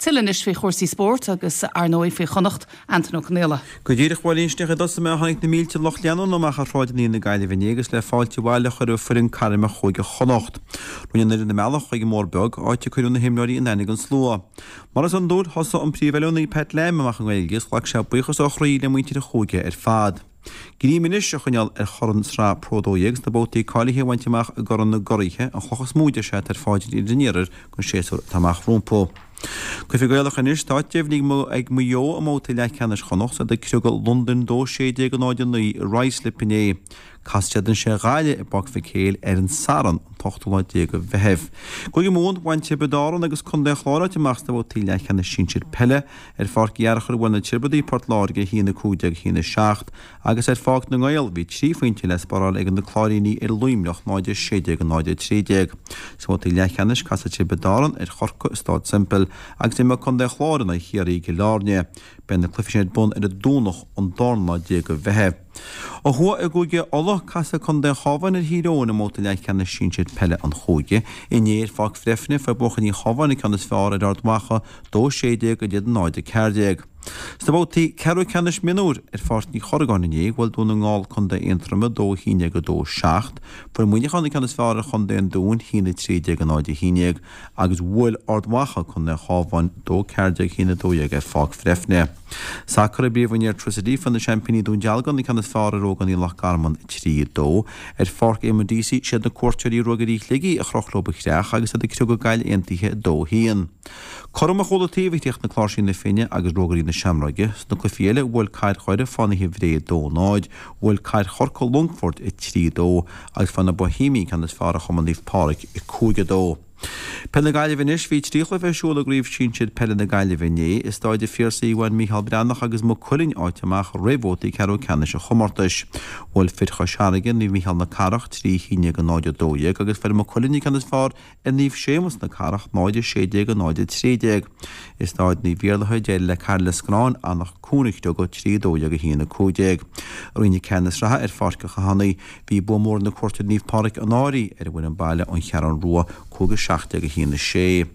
Tuilleadh anois faoi chúrsaí spóirt agus, ar ndóigh, faoi Chonnacht, Antaine Ó Conaola. Go díreach, a Mháirín, sin é a thosaigh mé, tháinig na mílte lucht leanúna amach ar shráideanna na Gaillimhe inné agus le fáilte abhaile a chur roimh foireann cairme Chúige Chonnacht. Rinne an fhoireann a mbealach chuig an mBóthar Beag, áit a cuireadh na himreoirí in aithne don slua. Mar is iondúil, thosaigh an príomhoiliúnaí Pat Lam amach i nGaeilge agus ghlac sé buíochas ó chroí le muintir an chúige ar fad. Greim anois a choinneáil ar chorn Sraith Pro 12 agus na babhtaí cáilithe a bhaint amach i gCorn na gCuraithe, an chloch is mó deir sé atá ar pháirt an Iarthair don séasúr atá amach rompu. Cluichí Gaelacha anois, tá áit deimhnithe ag Maigh Eo i mbabhtaí leathcheannais Chonnacht is iad ag criogadh Londain 2-16 0-9 i Ruislip inné. Casfaidh siad ansin ar Ghaillimh i bPáirc Mhic Éil ar an Satharn, an t-ochtú lá déag de Mheitheamh. I gCúige Mumhan, bhain Tiobraid Árann agus Contae an Chláir áit amach sna babhtaí leathcheannais sinsir peile. Ar Pháirc Uí Fhearchair bhuail na Tiobradaigh Port Láirge 1-15 1-7 agus ar Pháirc na nGael bhí trí phointe le spáráil ag na Cláirínigh ar Luimneach 0-16 0-13. Sna babhtaí leathcheannais casfaidh Tiobraid Árann ar Chorcaigh i Stáid Semple agus imreoidh Contae an Chláir in aghaidh Chiarraí i gCill Airne. Beidh na cluichí sin ar bun ar an Domhnach an darna lá déag de Mheitheamh. Ó thuaidh i gCúige Uladh, casfaidh Contae an Chabháin ar Thír Eoghain i mbabhta leathcheannais sinsir peile an chúige. Inné ar Pháirc Bhreifne, fuair buachaillí an Chabháin an ceann is fearr ar Ard Mhacha, 2-16 in aghaidh 0-14. Sna babhtaí ceathrú ceannais mionúir ar Pháirc Uí Chorragáin inné, bhuail Dún na nGall Contae Aontroma 2-11 2-7, fuair Muineachán an ceann is fearr ar Chontae an Dúin, 1-13 0-11, agus bhuail Ard Mhacha Contae an Chabháin 2-14 1-12 ar Pháirc Bhreifne. Sacar i bPríomhroinn Airtricity, fuair na seaimpíní Dún Dealgan an ceann is fearr ar ógánaigh Loch Garman 3-2. Ar Pháirc Éamonn Deasy, siad na cuairteoirí Ruagairí Shligigh a chroch leo a chreach agus iad ag criogadh Gaillimh Aontaithe 2-1. Cothrom ar chúl an taobh a chríochnaigh Cláirsí na Finne agus Rógairí na Seamróige. Sna cluichí eile, bhuail Cathair Dhoire Fánaithe Bhré 2-0, bhuail Cathair Chorcaí Longfort 3-2 agus fuair na Boihéimigh an ceann is fearr ar Chumann Naomh Pádraig 5-2. Peil na Gaillimhe anois, Bhí 3 chluiche ar siúl i gCraobh Shinsir Peile na Gaillimhe inné. I Stáid an Phiarsaigh bhain Micheál Breathnach agus Maigh Cuilinn áit amach roimh bhabhtaí ceathrú ceannais an chomórtais. Bhuail fir Chois Fharraige Naomh Micheál na Cathrach 3 11 0 12 agus fuair Maigh Cuilinn an ceann is fearr ar Naomh Séamus na Cathrach 0 16 0 13. I Stáid Naomh Iarlaithe d'éirigh le Caherlioscráin Eanach Cuain a chriogadh 3 12 1 15. I Roinn 4 na sraithe ar Pháirc an Chathánaigh Bhí bua mór ag na cuairteoirí Naomh Pádraig an Fhairche ar an bhfoireann baile ón Cheathrú Rua 5 17 1 6.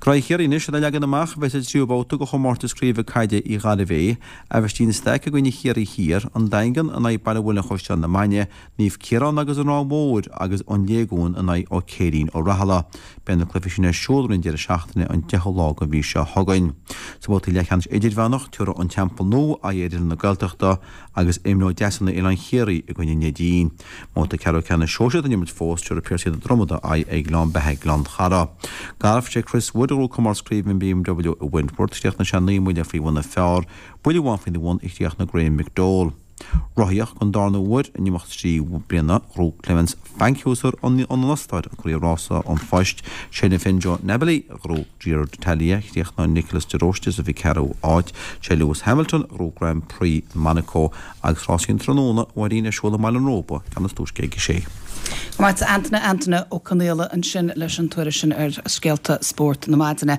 Graí Chiarraí anois á leagan amach a bheas sa tríú babhta de chomórtas craoibhe caide Uí Ghairbhé, Aibhistín de Staic i gcoinne Chiarraí Thiar, An Daingean in aghaidh Baile Mhuilinn Chaisleán na Mainge, Naomh Ciarán agus An Ráth Mhóir agus An Léigiún in aghaidh Ó Céirín Ó Rathaille. Beidh na cluichí sin ar siúl roimh an deireadh seachtaine an 10ú lá den mhí seo chugainn. Sa bhabhta leathcheannais idirmheánach, tabharfaidh An Teampall Nua aghaidh ar Oileán na Gaeltachta agus imreoidh Deasúna Oileán Chiarraí i gcoinne Neidín. I mbabhta ceathrú ceannais sóisear atá á imirt fós, tabharfaidh Piarsaigh na Dromoda aghaidh ar Ghleann Beatha Gleann Chara. Galf, Sé Chris Wood a ghnóthaigh comórtas craoibhe an BMW i Wentworth. Chríochnaigh sé 9 mbuille faoi bhun an phar, buille amháin faoina bhun a chríochnaigh Graham McDowell. Rothaíocht, Don darna huair in imeacht 3 bliana, ghnóthaigh Clemens Fankhauser ón Ostáir an Craobh Rása an Phoist. Sé an Finn Joe Nibali a ghnóthaigh Giro d'Italia, chríochnaigh Nicolas de Róiste sa 4ú áit. Sé Lewis Hamilton a ghnóthaigh Grand Prix Monaco agus rásaí an tráthnóna, a Mháirín, ar siúl i mBaile an Róba, ceann is túisce ag a sé. Go maith, Antaine, Antaine Ó Conaola ansin leis an tuairisc sin ar scéalta spóirt na maidine.